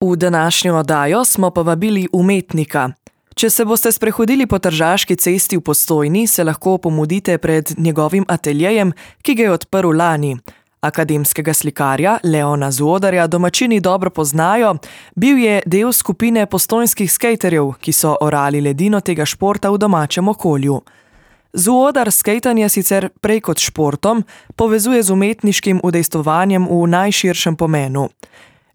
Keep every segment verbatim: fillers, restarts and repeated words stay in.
V današnjo oddajo smo povabili umetnika. Če se boste sprehodili po Tržaški cesti v Postojni, se lahko pomudite pred njegovim ateljejem, ki ga je odprl lani. Akademskega slikarja Leona Zuodarja domačini dobro poznajo, bil je del skupine postojnskih skejterjev, ki so orali ledino tega športa v domačem okolju. Zuodar skejtanje sicer prej kot športom povezuje z umetniškim udejstvovanjem v najširšem pomenu.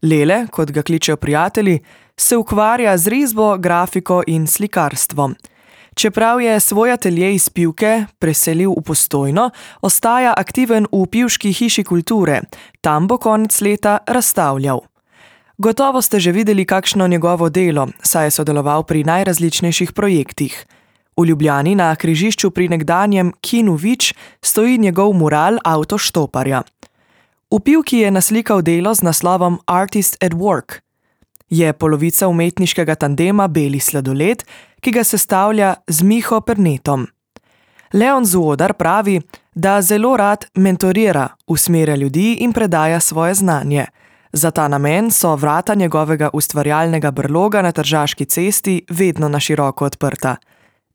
Lele, kot ga kličejo prijatelji, se ukvarja z risbo, grafiko in slikarstvom. Čeprav je svoj atelje iz Pivke preselil v Postojno, ostaja aktiven v Pivški hiši kulture. Tam bo konec leta razstavljal. Gotovo ste že videli kakšno njegovo delo, saj je sodeloval pri najrazličnejših projektih. V Ljubljani na križišču pri nekdanjem Kinu Vič stoji njegov mural Avtoštoparja. V Pivki je naslikal delo z naslovom Artist at Work. Je polovica umetniškega tandema Beli sladoled, ki ga sestavlja z Miho Pernetom. Leon Zuodar pravi, da zelo rad mentorira, usmerja ljudi in predaja svoje znanje. Za ta namen so vrata njegovega ustvarjalnega brloga na Tržaški cesti vedno na široko odprta.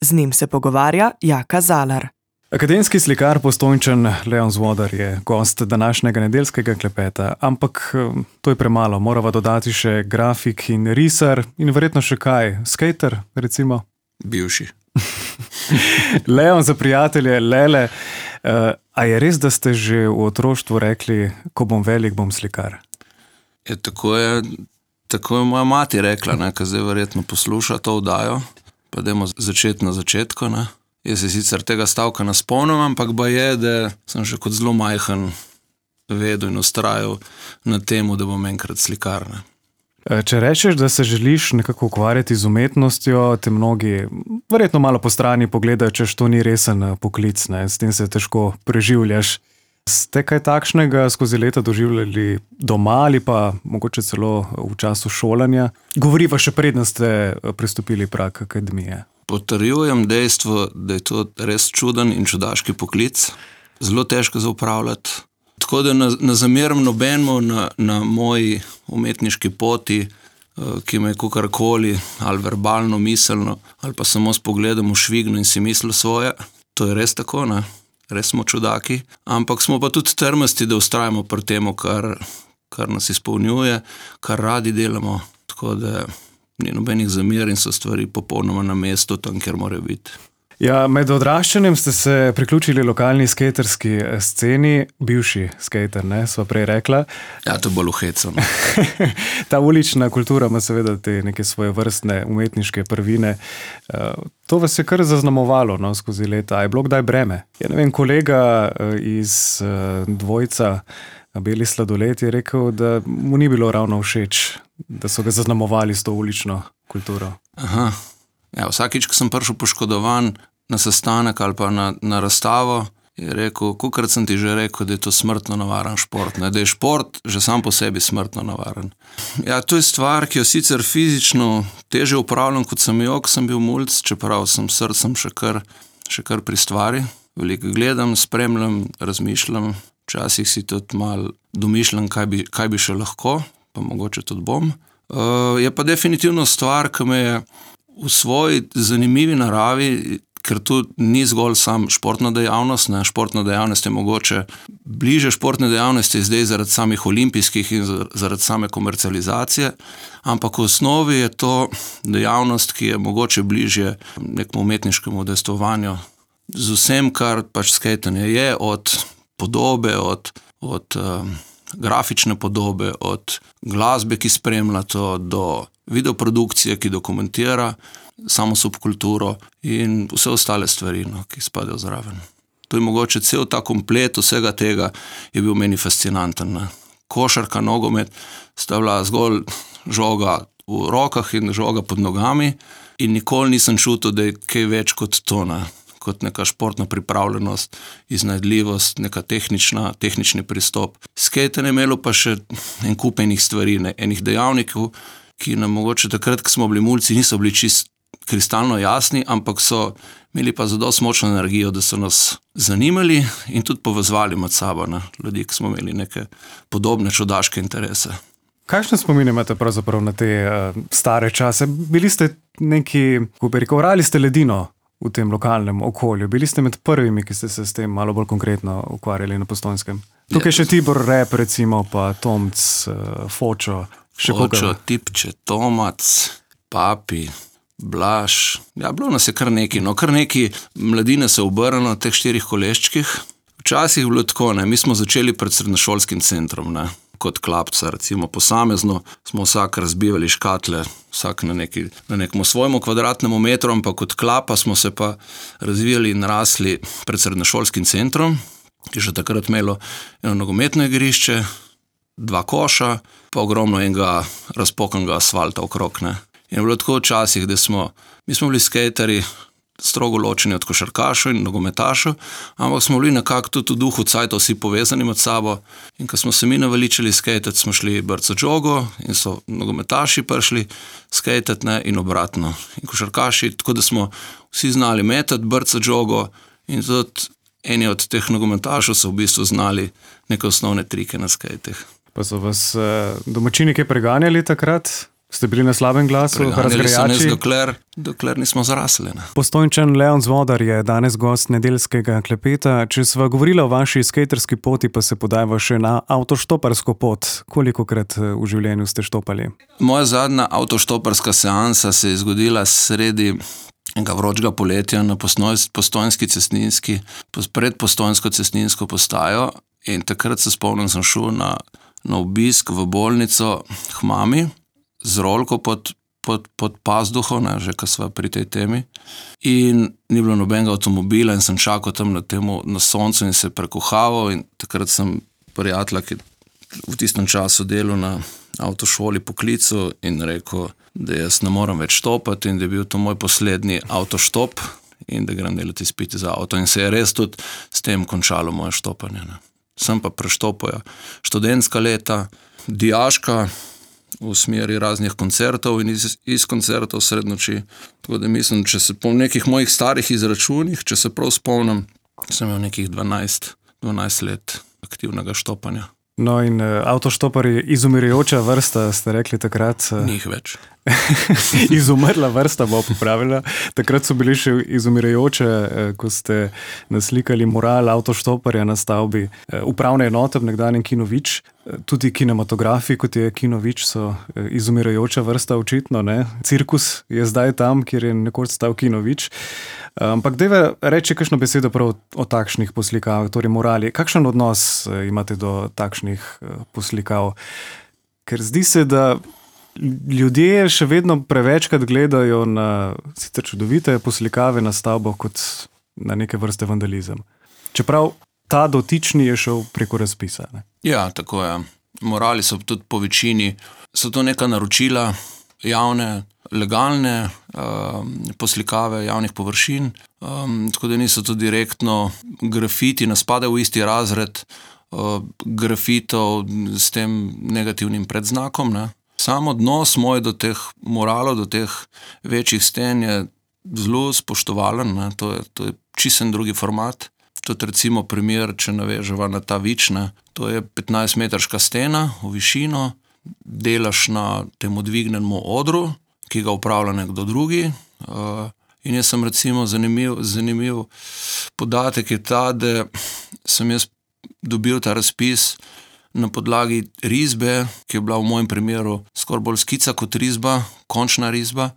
Z njim se pogovarja Jaka Zalar. Akademski slikar Postojnčan Leon Zuodar je gost današnjega nedeljskega klepeta, ampak to je premalo. Morava dodati še grafik in risar in verjetno še kaj, skejter recimo? Bivši. Leon za prijatelje, Lele, a je res, da ste že v otroštvu rekli, ko bom velik, bom slikar? Je, tako, je, tako je moja mati rekla, ne, ko zdaj verjetno posluša to oddajo, pa dajmo začeti na začetku, ne. Jaz se sicer tega stavka ne spomnim, ampak ba je, da sem že kot zelo majhen vedel in ustrajal na temu, da bom enkrat slikar. Ne. Če rečeš, da se želiš nekako ukvarjati z umetnostjo, te mnogi verjetno malo po strani pogledajo, češ to ni resen poklic, ne, s tem se težko preživljaš. Ste kaj takšnega skozi leta doživljali doma ali pa mogoče celo v času šolanja? Govoriva še predno ste pristopili prag akademije. Potrjujem dejstvo, da je to res čuden in čudaški poklic, zelo težko za upravljati. Tako da ne, ne zamerim nobenemu na, na moji umetniški poti, ki me je kakorkoli ali verbalno, miselno, ali pa samo s pogledom v švigno in si mislil svoje. To je res tako, ne? Res smo čudaki, ampak smo pa tudi trmasti, da ustrajamo pri temu, kar, kar nas izpolnjuje, kar radi delamo, tako da ni nobenih zamer in so stvari popolnoma na mestu tam, kjer morajo biti. Ja, med odraščanjem ste se priključili lokalni skejterski sceni, bivši skejter, ne, sva prej rekla. Ja, to je bolj uheco. Ta ulična kultura ima seveda te neke svoje vrstne umetniške prvine. To vas je kar zaznamovalo, no, skozi leta. A je bilo kdaj breme? Ja, ne vem, kolega iz dvojca Beli sladoled je rekel, da mu ni bilo ravno všeč, da so ga zaznamovali s to ulično kulturo. Aha. Ja, vsakič, ko sem prišel poškodovan na sestanek ali pa na, na razstavo, je rekel, kolikrat sem ti že rekel, da je to smrtno navaren šport, ne? Da je šport že sam po sebi smrtno navaren. Ja, to je stvar, ki jo sicer fizično teže upravljam, kot sem jo, ko sem bil mulc, čeprav sem srcem še kar, še kar pri stvari. Veliko gledam, spremljam, razmišljam, včasih si tudi malo domišljam, kaj bi, kaj bi še lahko, pa mogoče tudi bom. Uh, je pa definitivno stvar, ki me je v svoji zanimivi naravi, ker tu ni zgolj sam športna dejavnost, ne, športna dejavnost je mogoče bliže športne dejavnosti zdaj zaradi samih olimpijskih in zaradi same komercializacije, ampak v osnovi je to dejavnost, ki je mogoče bliže nekemu umetniškemu udejstvovanju z vsem, kar pač skejtanje je, od podobe, od, od um, grafične podobe, od glasbe, ki spremlja to, do videoprodukcije, ki dokumentira samo subkulturo in vse ostale stvari, no, ki spadajo zraven. To je mogoče cel ta komplet vsega tega je bil meni fascinanten. Ne. Košarka, nogomet sta bila zgolj žoga v rokah in žoga pod nogami in nikoli nisem čutil, da je kaj več kot to, ne. Kot neka športna pripravljenost, iznajdljivost, neka tehnična, tehnični pristop. Skejtanje je imelo pa še en kup enih stvari, ne, enih dejavnikov, ki nam mogoče takrat, ko smo bili mulci, niso bili čist kristalno jasni, ampak so imeli pa zadosti močno energijo, da so nas zanimali in tudi povezovali med sabo, ne, ljudi, ki smo imeli neke podobne čudaške interese. Kakšne spomine imate pravzaprav na te uh, stare čase? Bili ste neki, ko bi rekel, orali ste ledino v tem lokalnem okolju. Bili ste med prvimi, ki ste se s tem malo bolj konkretno ukvarjali na Postojnskem. Tukaj še Tibor Rep, recimo, pa Tomc, uh, Fočo. Fočo, Tipče, Tomac, Papi, Blaž. Ja, bilo nas je kar neki. No, kar neki mladine se obrnilo v teh štirih koleščkih. Včasih je bilo tako, ne, mi smo začeli pred srednješolskim centrom, ne, kot klapca, recimo posamezno, smo vsak razbivali škatle, vsak na, neki, na nekom svojemu kvadratnemu metru, ampak kot klapa smo se pa razvijali in rasli pred srednješolskim centrom, ki je že takrat imelo eno nogometno igrišče, dva koša, pa ogromno enega razpokanega asfalta okrog, ne. In je bilo tako včasih, da smo, mi smo bili skejteri, strogo ločeni od košarkašov in nogometašov, ampak smo bili nekako tudi v duhu cajtov vsi povezani med sabo in ko smo se mi naveličali skejtati, smo šli brco džogo in so nogometaši prišli skejtati, ne, in obratno. In košarkaši, tako da smo vsi znali metati brco džogo in tudi eni od teh nogometašov so v bistvu znali neke osnovne trike na skejtih. Pa so vas uh, domačini kaj preganjali takrat? Ste bili na slabem glasu, razgrajači? Dokler, dokler nismo zrasli. Ne. Postojnčan Leon Zvodar je danes gost nedeljskega klepeta. Če sva govorila o vaši skejterski poti, pa se podajva še na avtoštoparsko pot. Kolikokrat v življenju ste štopali? Moja zadnja avtoštoparska seansa se je zgodila sredi enega vročega poletja na Postojnski cestninski, pred Postojnsko cestninsko postajo in takrat se spomnim, sem šel na, na obisk v bolnico k mami, z rolko pod, pod, pod pazduho, ne, že ko sva pri tej temi. In ni bilo nobenega avtomobila in sem čakal tam na, temu, na soncu in se prekuhaval in takrat sem prijatelja, ki v tistem času delal na avtošoli poklicu in rekel, da jaz ne moram več štopati in da je bil to moj poslednji avtoštop in da grem delati izpiti za avto. In se je res tudi s tem končalo moje štopanje. Ne. Sem pa preštopil študentska leta, dijaška, v smeri raznih koncertov in iz, iz koncertov sred noči. Tako da mislim, če se po nekih mojih starih izračunih, če se prav spomnim, sem imel nekih dvanajst, dvanajst let aktivnega štopanja. No in uh, avtoštopar je izumirajoča vrsta, ste rekli takrat. Uh, Njih več. Izumrla vrsta bo popravila. Takrat so bili še izumirajoče, uh, ko ste naslikali mural avtoštoparja na stavbi uh, upravne enote v nekdanjem Kino Vič. Uh, tudi kinematografi, kot je Kino Vič, so uh, izumirajoča vrsta očitno, ne? Cirkus je zdaj tam, kjer je nekoč stal Kino Vič. Ampak dajva reči kakšno besedo prav o takšnih poslikavah, torej morali. Kakšen odnos imate do takšnih poslikav? Ker zdi se, da ljudje še vedno prevečkrat gledajo na sicer čudovite poslikave na stavbo kot na neke vrste vandalizem. Čeprav ta dotični je šel preko razpisa. Ne? Ja, tako je. Morali so tudi po večini, so to neka naročila javne, legalne um, poslikave javnih površin, um, tako da niso to direktno grafiti, ne spadajo v isti razred uh, grafitov s tem negativnim predznakom. Ne. Sam odnos moj do teh moralov, do teh večjih sten je zelo spoštovalen, ne. To je, to je čisten drugi format. Tudi recimo primer, če naveževa na ta Vič, ne. To je petnajstmetrska stena v višino, delaš na tem dvignenemu odru, ki ga upravlja nekdo drugi. Uh, in jaz sem recimo zanimiv, zanimiv podatek je ta, da sem jaz dobil ta razpis na podlagi risbe, ki je bila v mojem primeru skoraj bolj skica kot risba, končna risba,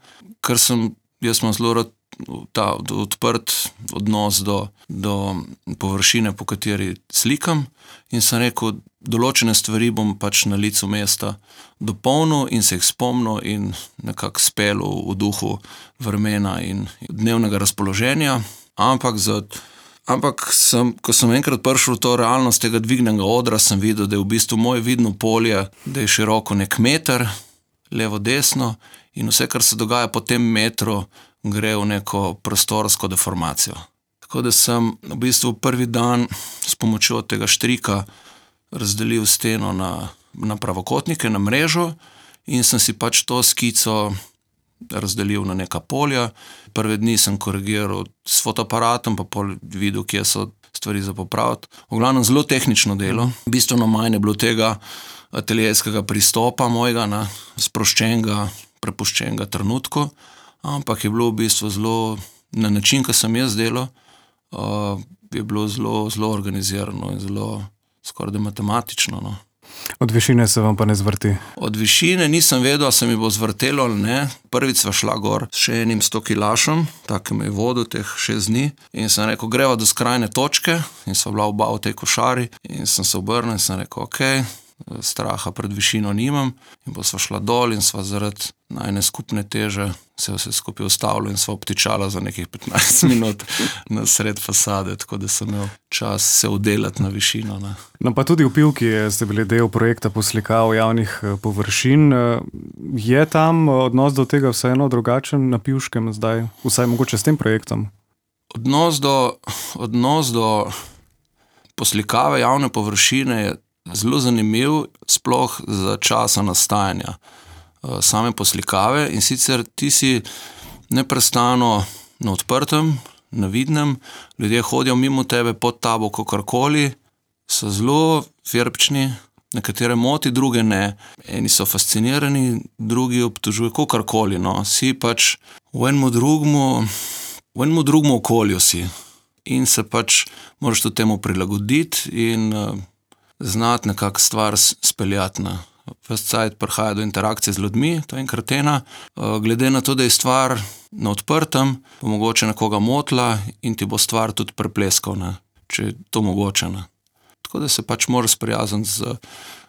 ker sem, jaz sem zelo rad ta odprt odnos do, do površine, po kateri slikam in sem rekel, določene stvari bom pač na licu mesta dopolnil in se jih spomnil in nekako spelil v duhu vremena in dnevnega razpoloženja, ampak, za, ampak sem, ko sem enkrat prišel v to realnost tega dvignenega odra, sem videl, da je v bistvu moje vidno polje, da je široko nek meter, levo, desno in vse, kar se dogaja po tem metru, gre v neko prostorsko deformacijo. Tako da sem v bistvu prvi dan s pomočjo tega štrika razdelil steno na, na pravokotnike, na mrežo in sem si pač to skico razdelil na neka polja. Prve dni sem korigiral s fotoaparatom, pa pol videl, kje so stvari za popraviti. V glavnem zelo tehnično delo. Bistveno manj je bilo tega ateljejskega pristopa mojega, ne, sproščenega, prepuščenega trenutku, ampak je bilo v bistvu zelo, na način, ki sem jaz delal, uh, je bilo zelo, zelo organizirano in zelo skoraj matematično. No. Od višine se vam pa ne zvrti? Od višine nisem vedel, se mi bo zvrtelo ali ne. Prvič sva šla gor s še enim sto kilašem, tako me je vodil teh šest dni in sem rekel, greva do skrajne točke in sva bila oba v tej košari in sem se obrnil in sem rekel, ok, straha pred višino nimam in pa sva šla dol in sva zaradi najne skupne teže se vse skupaj ustavilo in sva obtičala za nekih petnajst minut na sred fasade, tako da sem imel čas se udelati na višino. Ne. No pa tudi v Pivki ste bili del projekta poslikav javnih površin. Je tam odnos do tega vseeno drugačen na Pivškem zdaj, vsaj mogoče s tem projektom? Odnos do, odnos do poslikave javne površine je zelo zanimiv, sploh za časa nastajanja same poslikave in sicer ti si neprestano na odprtem, na vidnem, ljudje hodijo mimo tebe, pod tabo, kakorkoli, so zelo firpčni, nekatere moti, druge ne. Eni so fascinirani, drugi obtožujejo, kakorkoli, no. Si pač v enem drugmu, v enem drugmu okolju si in se pač moraš tudi temu prilagoditi in uh, znati nekako stvar speljati. Ne. Ves cajt prihaja do interakcije z ljudmi, to je enkrat ena. Glede na to, da je stvar na odprtem, bo mogoče nekoga motila in ti bo stvar tudi prepleskal, ne, če je to mogoče. Ne. Tako da se pač moraš sprijazniti z,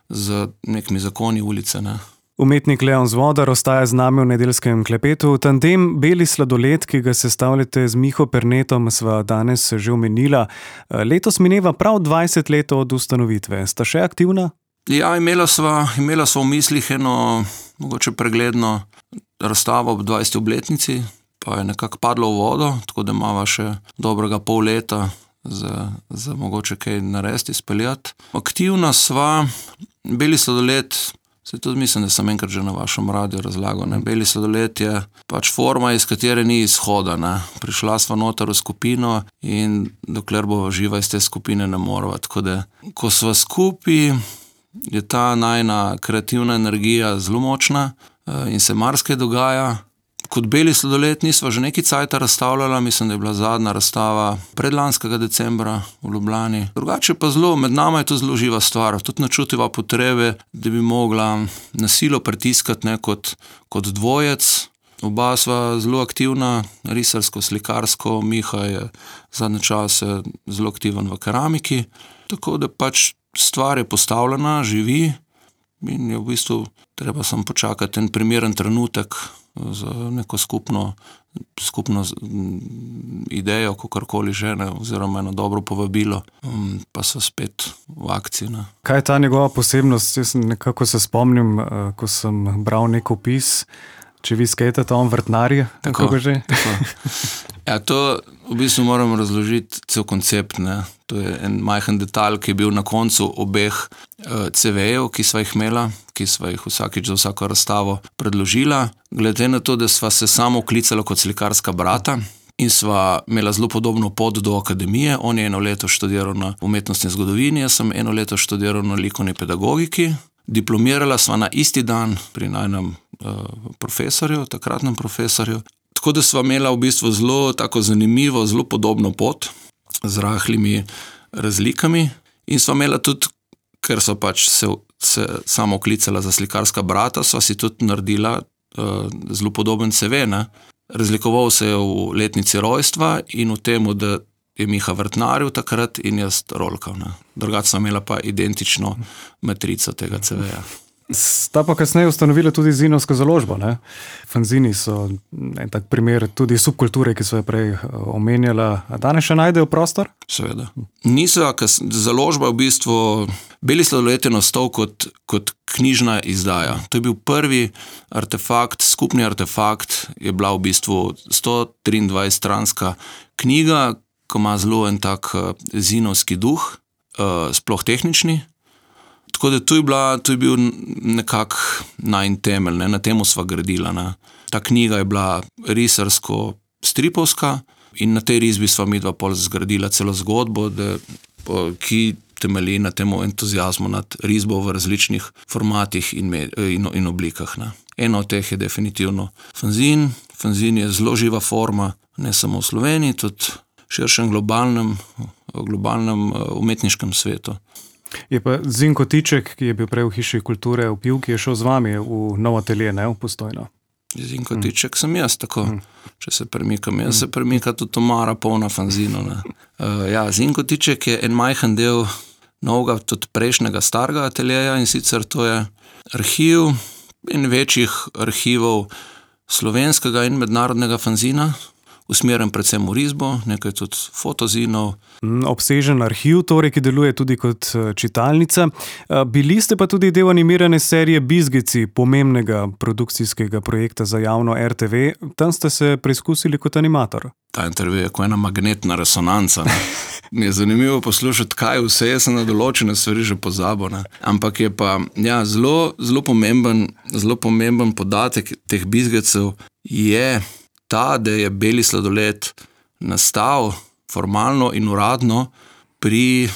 z nekimi zakoni ulice. Ne. Umetnik Leon Zvodar ostaja z nami v nedeljskem klepetu. Tandem Beli sladoled, ki ga sestavljate z Miho Pernetom, sva danes že omenila. Letos mineva prav dvajset let od ustanovitve. Sta še aktivna? Ja, imela sva, imela sva v mislih eno mogoče pregledno razstavo ob dvajseti obletnici, pa je nekako padlo v vodo, tako da imava še dobrega pol leta za, za mogoče kaj narediti, speljati. Aktivna sva, Beli sladoled, se tudi mislim, da sem enkrat že na vašem radiju razlagal, ne? Beli sladoled je pač forma, iz katere ni izhoda. Ne? Prišla sva noter v skupino in dokler bo živa iz te skupine ne morava. Tako da, ko sva skupaj, je ta najna kreativna energija zelo močna in se marsikaj dogaja. Kot Beli sladoled nisva že nekaj cajta razstavljala, mislim, da je bila zadnja razstava predlanskega decembra v Ljubljani. Drugače pa zelo, med nama je to zelo živa stvar, tudi načutiva potrebe, da bi mogla na silo pritiskati ne, kot, kot dvojec. Oba sva zelo aktivna, risarsko, slikarsko, Miha je zadnje čase zelo aktiven v keramiki, tako da pač stvar je postavljena, živi in je v bistvu treba samo počakati en primeren trenutek za neko skupno, skupno idejo, kakorkoli že, ne, oziroma eno dobro povabilo, pa so spet v akciji. Ne. Kaj je ta njegova posebnost? Jaz nekako se spomnim, ko sem bral nek opis, če vi skejtate, on vrtnarje, tako ga že? Tako. Ja, to v bistvu moram razložiti cel koncept, ne. To je en majhen detalj, ki je bil na koncu obeh uh, ce vejev, ki sva jih imela, ki sva jih vsakič za vsako razstavo predložila. Glede na to, da sva se samo klicala kot slikarska brata in sva imela zelo podobno pot do akademije. On je eno leto študiral na umetnostni zgodovini, jaz sem eno leto študiral na likovni pedagogiki. Diplomirala sva na isti dan pri najnem uh, profesorju, takratnem profesorju. Tako da sva imela v bistvu zelo tako zanimivo, zelo podobno pot z rahlimi razlikami in sva imela tudi, ker sva pač se, se samo klicala za slikarska brata, sva si tudi naredila uh, zelo podoben ce ve, ne. Razlikoval se je v letnici rojstva in v temu, da je Miha vrtnaril takrat in jaz rolkal. Drugače sva imela pa identično matrico tega ce veja. Sta pa kasneje ustanovila tudi zinovsko založbo, ne? Fanzini so en tak primer tudi subkulture, ki so jo prej omenjala. A danes še najdejo prostor? Seveda. Niso, založba v bistvu, Beli sladoled je nastal kot, kot knjižna izdaja. To je bil prvi artefakt, skupni artefakt, je bila v bistvu sto triindvajset stranska knjiga, ko ima zelo en tak zinovski duh, sploh tehnični. Tako da to je, bila, to je bil nekak najn temelj, ne? Na temu sva gradila. Ne? Ta knjiga je bila risarsko-stripovska in na tej risbi sva midva pol zgradila celo zgodbo, da, ki temelji na tem entuzijazmu nad risbo v različnih formatih in, in, in oblikah. Ne. Eno od teh je definitivno fanzin. Fanzin je zelo živa forma, ne samo v Sloveniji, tudi v širšem globalnem, globalnem umetniškem svetu. Je pa Zinko Tiček, ki je bil prej v Hiši kulture v Pivki, je šel z vami v nov atelje, ne, v Postojno. Zinko Tiček sem jaz, tako. Če se premikam, jaz se premika tudi omara polna fanzinov. Uh, ja, Zinko Tiček je en majhen del novega, tudi prejšnjega starega ateljeja, in sicer to je arhiv in večjih arhivov slovenskega in mednarodnega fanzina, usmerjen predvsem v risbo, nekaj tudi fotozinov. Obsežen arhiv, torej, ki deluje tudi kot čitalnica. Bili ste pa tudi del animirane serije Bizgici, pomembnega produkcijskega projekta za javno er te ve. Tam ste se preizkusili kot animator. Ta intervju je kot ena magnetna resonanca. Ne? Mi je zanimivo poslušati, kaj vse je, sem na določene stvari že pozabil. Ne? Ampak je pa ja, zelo, zelo pomemben, zelo pomemben podatek teh Bizgicov je ta, da je Beli sladoled nastal formalno in uradno pri,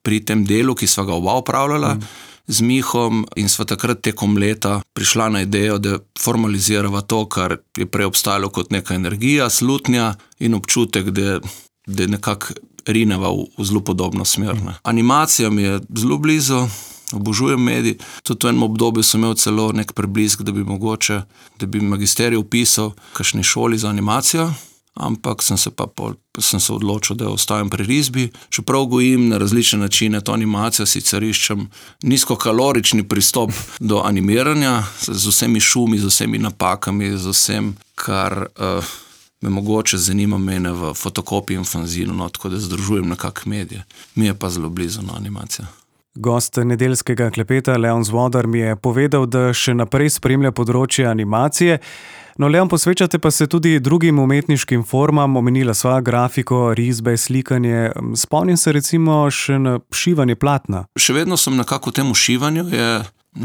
pri tem delu, ki sva ga oba upravljala mm. z Mihom, in sva takrat tekom leta prišla na idejo, da formalizirava to, kar je prej obstajalo kot neka energija, slutnja in občutek, da, da nekako rineva v, v zelo podobno smer. Ne. Animacija mi je zelo blizu, obožujem medij. Tudi v enem obdobju sem imel celo nek preblisk, da bi mogoče, da bi magisterij upisal v kakšni šoli za animacijo, ampak sem se pa pol, sem se odločil, da ostajam pri risbi. Čeprav gojim na različne načine to animacijo, sicer iščem nizkokalorični pristop do animiranja, z vsemi šumi, z vsemi napakami, z vsem, kar uh, me mogoče zanima mene v fotokopiji in fanzinu, no, tako da združujem nekak medije. Mi je pa zelo blizu na animacija. Gost nedeljskega klepeta Leon Zvodar mi je povedal, da še naprej spremlja področje animacije. No, Leon, posvečate pa se tudi drugim umetniškim formam, omenila sva grafiko, risbe, slikanje. Spomnim se recimo še na šivanje platna. Še vedno sem nekako v tem šivanju, je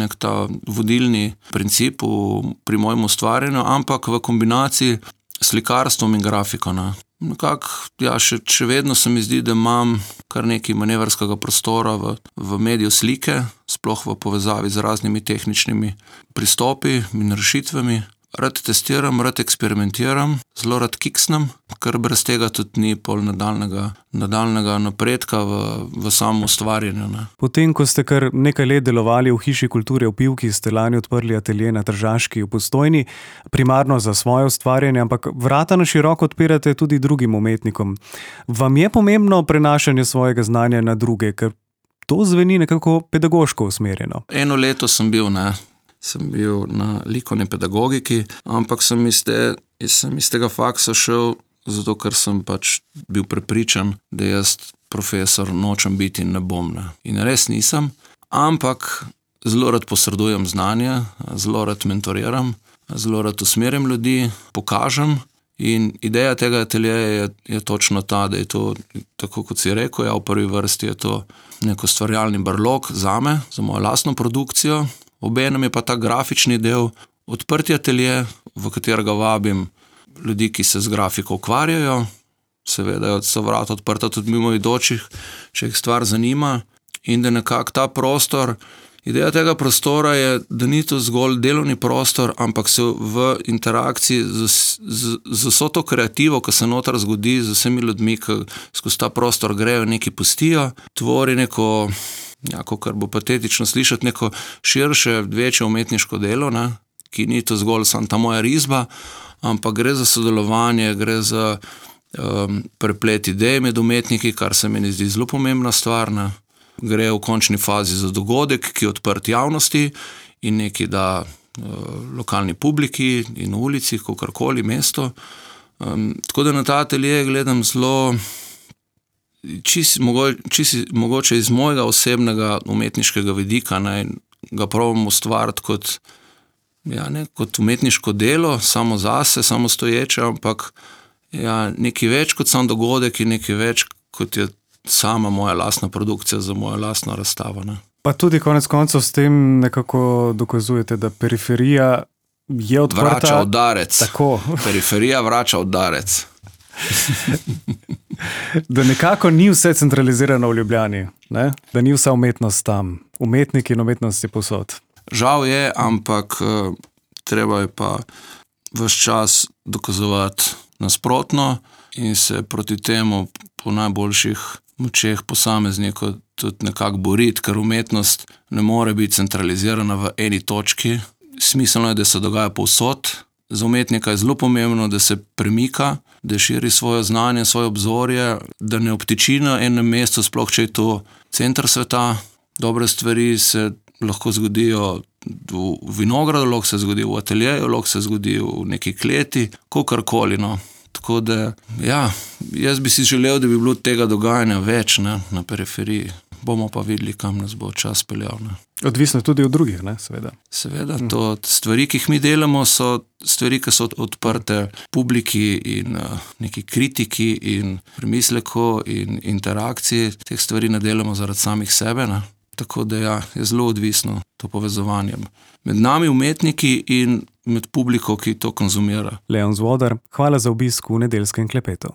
nek ta vodilni princip v, pri mojem ustvarjanju, ampak v kombinaciji s slikarstvom in grafiko. Ne. Nekako, ja, še, še vedno se mi zdi, da imam kar nekaj manevrskega prostora v, v mediju slike, sploh v povezavi z raznimi tehničnimi pristopi in rešitvami. Rad testiram, rad eksperimentiram, zelo rad kiksnem, ker brez tega tudi ni pol nadaljnega, nadaljnega napredka v, v samo ustvarjanju. Ne. Potem, ko ste kar nekaj let delovali v Hiši kulture v Pivki, ste lani odprli atelje na Tržaški v Postojni, primarno za svoje ustvarjanje, ampak vrata na široko odpirate tudi drugim umetnikom. Vam je pomembno prenašanje svojega znanja na druge, ker to zveni nekako pedagoško usmerjeno? Eno leto sem bil, ne. sem bil na likovni pedagogiki, ampak sem iz, te, sem iz tega faksa šel, zato ker sem pač bil prepričan, da jaz profesor nočem biti in ne bom. Ne. In res nisem, ampak zelo rad posredujem znanje, zelo rad mentoriram, zelo rad usmerjam ljudi, pokažem, in ideja tega ateljeja je, je točno ta, da je to, tako kot si rekel, ja, v prvi vrsti je to neko ustvarjalni brlog zame, za mojo lastno produkcijo. Obenem je pa ta grafični del odprti atelje, v katerega vabim ljudi, ki se z grafiko ukvarjajo. Seveda so vrata odprta tudi mimoidočih, če jih stvar zanima. In da nekako ta prostor, ideja tega prostora je, da ni to zgolj delovni prostor, ampak se v interakciji z, z, z vso to kreativo, ki se noter zgodi, z vsemi ljudmi, ki skozi ta prostor grejo, nekaj pustijo, tvori neko... jako, kar bo patetično slišati, neko širše, večje umetniško delo, ne, ki ni to zgolj samo ta moja risba, ampak gre za sodelovanje, gre za um, preplet idej med umetniki, kar se mi zdi zelo pomembna stvar. Ne. Gre v končni fazi za dogodek, ki je odprt javnosti in neki da uh, lokalni publiki in ulici, kakorkoli mesto. Um, tako da na ta atelje gledam zelo Čisi, čisi, mogoče iz mojega osebnega umetniškega vidika, ne, ga probam ustvariti kot, ja, ne, kot umetniško delo, samo zase, samo stoječe, ampak ja, nekaj več kot sam dogodek in nekaj več kot je sama moja lastna produkcija za mojo lastno razstavo. Ne. Pa tudi konec koncev s tem nekako dokazujete, da periferija je odprta. Vrača udarec. Tako. Periferija vrača udarec. Da nekako ni vse centralizirano v Ljubljani. ne? Da ni vsa umetnost tam. Umetnik in umetnost je povsod. Žal je, ampak uh, treba je pa ves čas dokazovati nasprotno in se proti temu po najboljših močeh posameznikov tudi nekako boriti, ker umetnost ne more biti centralizirana v eni točki. Smiselno je, da se dogaja povsod. Za umetnika je zelo pomembno, da se premika, da širi svoje znanje, svoje obzorje, da ne obtiči na enem mestu, sploh če je to center sveta. Dobre stvari se lahko zgodijo v vinogradu, lahko se zgodi v ateljeju, lahko se zgodi v neki kleti, kakorkoli, no. Tako da, ja, jaz bi si želel, da bi bilo tega dogajanja več, ne, na periferiji. Bomo pa videli, kam nas bo čas peljal, ne. Odvisno tudi od drugih, ne, seveda. Seveda, to stvari, ki jih mi delamo, so stvari, ki so odprte publiki in uh, neki kritiki in premisleku in interakciji. Teh stvari ne delamo zaradi samih sebe, ne. Tako da ja, je zelo odvisno to povezovanje med nami umetniki in med publiko, ki to konzumira. Leon Zvodar, hvala za obisk v Nedeljskem klepetu.